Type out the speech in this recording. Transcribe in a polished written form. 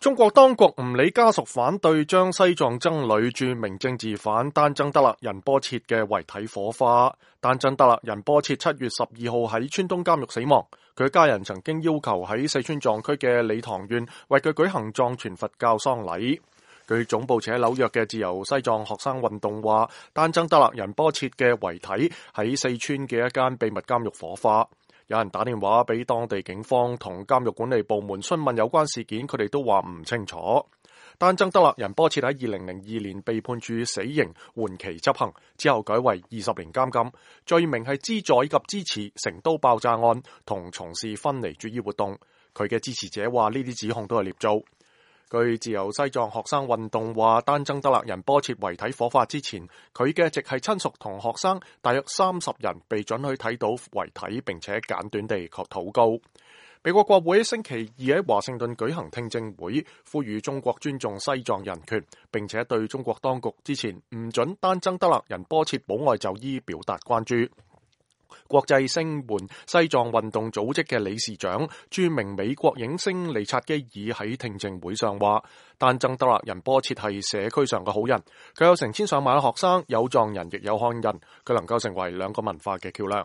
中國當局唔理家屬反對，將西藏僧侶著名政治犯丹增德勒仁波切嘅遺體火化。丹增德勒仁波切7月12號喺川東監獄死亡，佢家人曾經要求喺四川藏區嘅理塘縣為佢舉行藏傳佛教喪禮。據總部設喺紐約嘅自由西藏學生運動話，丹增德勒仁波切嘅遺體喺四川嘅一間秘密監獄火化。有人打電話俾當地警方同監獄管理部門詢問有關事件，佢哋都話唔清楚。丹增德勒仁波切喺2002年被判處死刑，緩期執行，之後改為20年監禁，罪名係資助以及支持成都爆炸案同從事分離主義活動。佢嘅支持者話呢啲指控都係捏造。據自由西藏學生運動話，丹增德勒仁波切遺體火化之前，佢嘅直系親屬同學生大約30人被准許睇到遺體，並且簡短地禱告。美國國會星期二喺華盛頓舉行聽證會，呼籲中國尊重西藏人權，並且對中國當局之前唔准丹增德勒仁波切保外就醫表達關注。國際聲援西藏運動組織嘅理事長、著名美國影星利察基爾喺聽證會上話，丹增德勒仁波切係社區上嘅好人，佢有成千上萬嘅學生，有藏人亦有漢人，佢能夠成為兩個文化嘅橋樑。